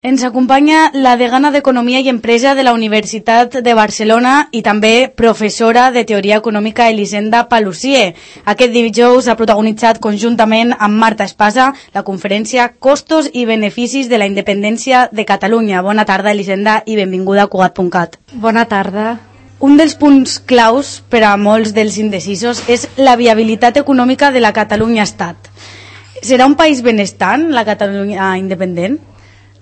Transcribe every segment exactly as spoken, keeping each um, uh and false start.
Ens acompanya la degana d'Economia i Empresa de la Universitat de Barcelona i també professora de Teoria Econòmica Elisenda Paluzie. Aquest dijous ha protagonitzat conjuntament amb Marta Espasa la conferència Costos i beneficis de la independència de Catalunya. Bona tarda, Elisenda, i benvinguda a Cugat punt cat. Bona tarda. Un dels punts claus per a molts dels indecisos és la viabilitat econòmica de la Catalunya-Estat. Serà un país benestant, la Catalunya independent?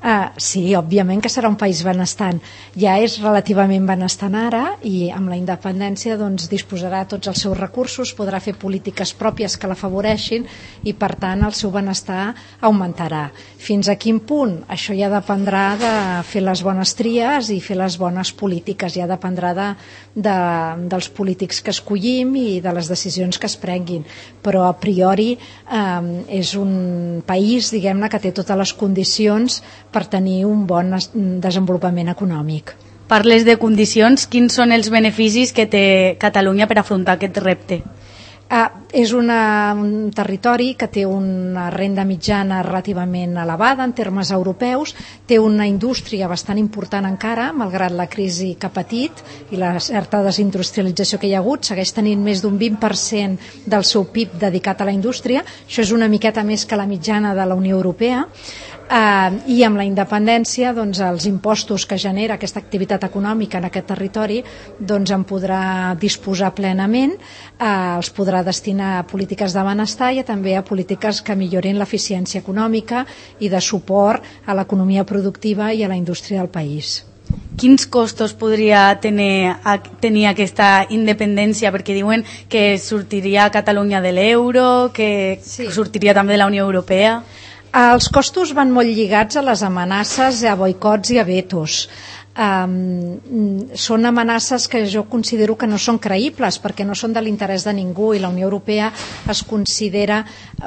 Uh, sí, òbviament que serà un país benestant. Ja és relativament benestant ara i amb la independència doncs, disposarà de tots els seus recursos, podrà fer polítiques pròpies que l'afavoreixin i per tant el seu benestar augmentarà. Fins a quin punt? Això ja dependrà de fer les bones tries i fer les bones polítiques, ja dependrà de, de, dels polítics que escollim i de les decisions que es prenguin, però a priori um, és un país, diguem-ne, que té totes les condicions per tenir un bon desenvolupament econòmic. Parles de condicions, quins són els beneficis que té Catalunya per afrontar aquest repte? Ah, és una, un territori que té una renda mitjana relativament elevada en termes europeus, té una indústria bastant important encara, malgrat la crisi que ha patit i la certa desindustrialització que hi ha hagut, segueix tenint més d'un vint per cent del seu P I B dedicat a la indústria, això és una miqueta més que la mitjana de la Unió Europea, Uh, i amb la independència doncs, els impostos que genera aquesta activitat econòmica en aquest territori doncs, en podrà disposar plenament, uh, els podrà destinar a polítiques de benestar i també a polítiques que millorin l'eficiència econòmica i de suport a l'economia productiva i a la indústria del país. Quins costos podria tenir, tenir aquesta independència? Perquè diuen que sortiria Catalunya de l'euro, que sí. sortiria també de la Unió Europea. Els costos van molt lligats a les amenaces, a boicots i a vetos. Um, són amenaces que jo considero que no són creïbles perquè no són de l'interès de ningú i la Unió Europea es considera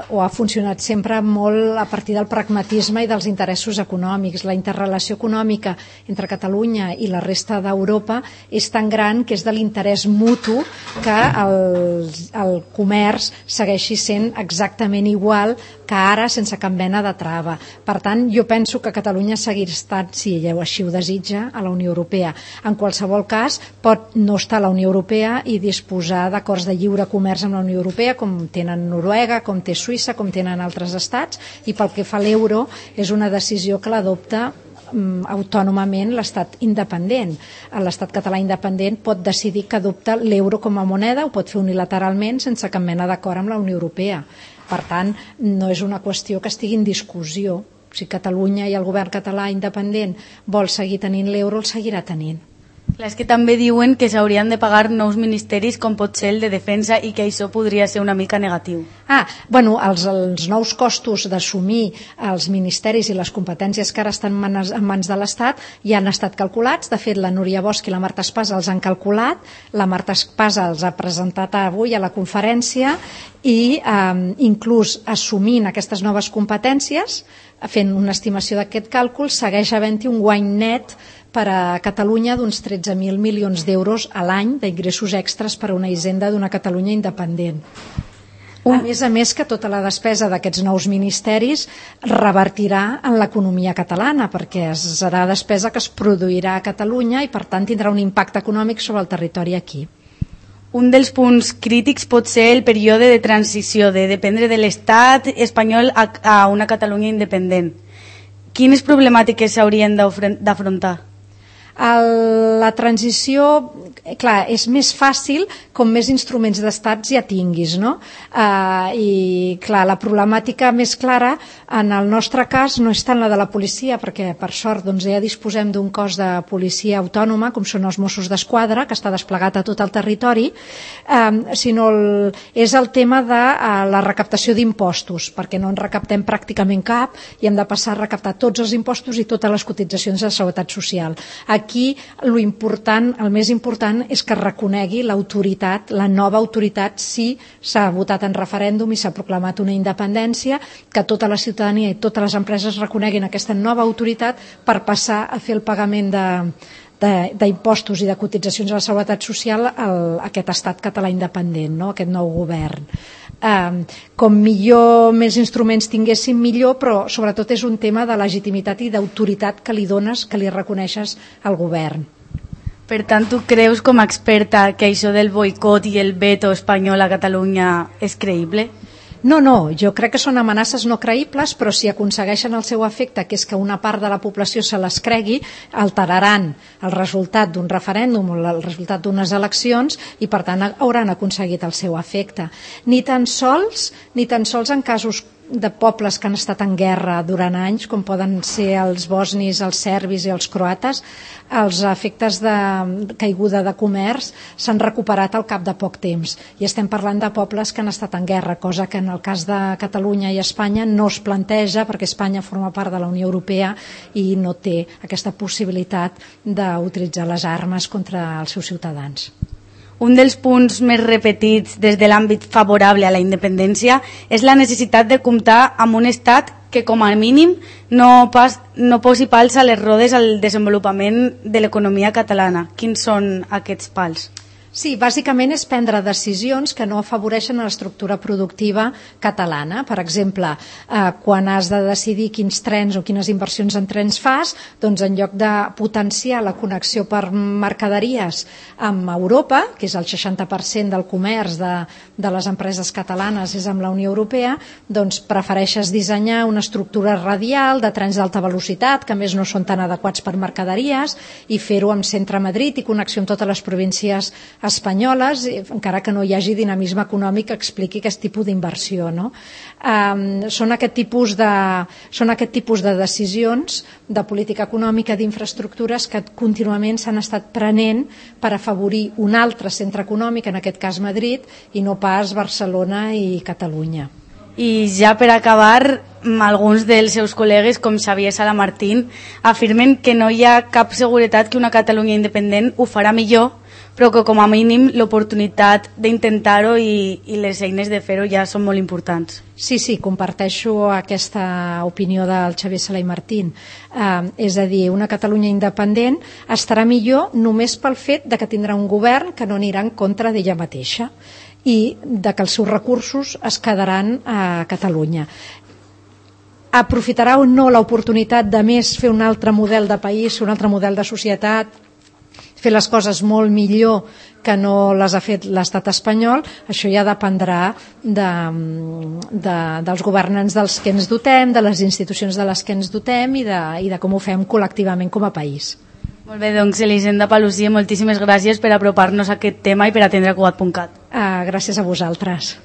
o ha funcionat sempre molt a partir del pragmatisme i dels interessos econòmics. La interrelació econòmica entre Catalunya i la resta d'Europa és tan gran que és de l'interès mutu que el, el comerç segueixi sent exactament igual que ara sense cap mena de trava. Per tant, jo penso que Catalunya seguirà estant, si ella així ho desitja, a la Unió Europea. En qualsevol cas, pot no estar a la Unió Europea i disposar d'acords de lliure comerç amb la Unió Europea, com tenen Noruega, com té Suïssa, com tenen altres estats, i pel que fa a l'euro, és una decisió que l'adopta um, autònomament l'estat independent. L'estat català independent pot decidir que adopta l'euro com a moneda, ho pot fer unilateralment sense cap mena d'acord amb la Unió Europea. Per tant, no és una qüestió que estigui en discussió. Si Catalunya i el govern català independent vol seguir tenint l'euro, el seguirà tenint. Clar, és que també diuen que s'haurien de pagar nous ministeris com pot ser el de defensa i que això podria ser una mica negatiu. Ah, bueno, els, els nous costos d'assumir els ministeris i les competències que ara estan en mans, en mans de l'Estat ja han estat calculats. De fet, la Núria Bosch i la Marta Espasa els han calculat. La Marta Espasa els ha presentat avui a la conferència i eh, inclús assumint aquestes noves competències, fent una estimació d'aquest càlcul, segueix havent-hi un guany net per a Catalunya d'uns tretze mil milions d'euros a l'any d'ingressos extres per a una hisenda d'una Catalunya independent. A més a més que tota la despesa d'aquests nous ministeris revertirà en l'economia catalana perquè serà despesa que es produirà a Catalunya i per tant tindrà un impacte econòmic sobre el territori aquí. Un dels punts crítics pot ser el període de transició, de dependre de l'estat espanyol a, a una Catalunya independent. Quines problemàtiques s'haurien d'afrontar? El, la transició, clar, és més fàcil com més instruments d'estat ja tinguis, no? Uh, I clar, la problemàtica més clara en el nostre cas no és tant la de la policia, perquè per sort doncs, ja disposem d'un cos de policia autònoma, com són els Mossos d'Esquadra, que està desplegat a tot el territori, um, sinó el, és el tema de uh, la recaptació d'impostos, perquè no en recaptem pràcticament cap i hem de passar a recaptar tots els impostos i totes les cotitzacions de seguretat social. Aquí lo important, el més important és que reconegui l'autoritat, la nova autoritat, si s'ha votat en referèndum i s'ha proclamat una independència, que tota la ciutadania i totes les empreses reconeguin aquesta nova autoritat per passar a fer el pagament de d'impostos i de cotitzacions a la seguretat social a aquest estat català independent, no? Aquest nou govern. eh, com millor més instruments tinguéssim millor, però sobretot és un tema de legitimitat i d'autoritat que li dones, que li reconeixes al govern. Per tant, tu creus com a experta que això del boicot i el veto espanyol a Catalunya és creïble? No, no, jo crec que són amenaces no creïbles, però si aconsegueixen el seu efecte, que és que una part de la població se les cregui, alteraran el resultat d'un referèndum o el resultat d'unes eleccions i, per tant, hauran aconseguit el seu efecte. Ni tan sols, ni tan sols en casos de pobles que han estat en guerra durant anys, com poden ser els bosnis, els serbis i els croates, els efectes de caiguda de comerç s'han recuperat al cap de poc temps. I estem parlant de pobles que han estat en guerra, cosa que en el cas de Catalunya i Espanya no es planteja, perquè Espanya forma part de la Unió Europea i no té aquesta possibilitat d'utilitzar les armes contra els seus ciutadans. Un dels punts més repetits des de l'àmbit favorable a la independència és la necessitat de comptar amb un estat que com a mínim no, pas, no posi pals a les rodes al desenvolupament de l'economia catalana. Quins són aquests pals? Sí, bàsicament és prendre decisions que no afavoreixen l'estructura productiva catalana. Per exemple, eh, quan has de decidir quins trens o quines inversions en trens fas, doncs en lloc de potenciar la connexió per mercaderies amb Europa, que és el seixanta per cent del comerç de, de les empreses catalanes és amb la Unió Europea, doncs prefereixes dissenyar una estructura radial de trens d'alta velocitat, que a més no són tan adequats per mercaderies, i fer-ho amb centre a Madrid i connexió amb totes les províncies espanyoles, encara que no hi hagi dinamisme econòmic que expliqui aquest tipus d'inversió, no? Um, són, aquest tipus de, són aquest tipus de decisions de política econòmica d'infraestructures que contínuament s'han estat prenent per afavorir un altre centre econòmic, en aquest cas Madrid, i no pas Barcelona i Catalunya. I ja per acabar, alguns dels seus col·legues, com Xavier Salamartín, afirmen que no hi ha cap seguretat que una Catalunya independent ho farà millor, però que com a mínim l'oportunitat d'intentar-ho i, i les eines de fer-ho ja són molt importants. Sí, sí, comparteixo aquesta opinió del Xavier Salamartín. Eh, és a dir, una Catalunya independent estarà millor només pel fet de que tindrà un govern que no anirà en contra d'ella mateixa i de que els seus recursos es quedaran a Catalunya. Aprofitarà o no l'oportunitat de més fer un altre model de país, un altre model de societat, fer les coses molt millor que no les ha fet l'estat espanyol? Això ja dependrà de, de, dels governants dels que ens dotem, de les institucions de les que ens dotem i de, i de com ho fem col·lectivament com a país. Molt bé, doncs Elisenda Paluzie, moltíssimes gràcies per apropar-nos a aquest tema i per atendre Cugat punt cat. Uh, gràcies a vosaltres.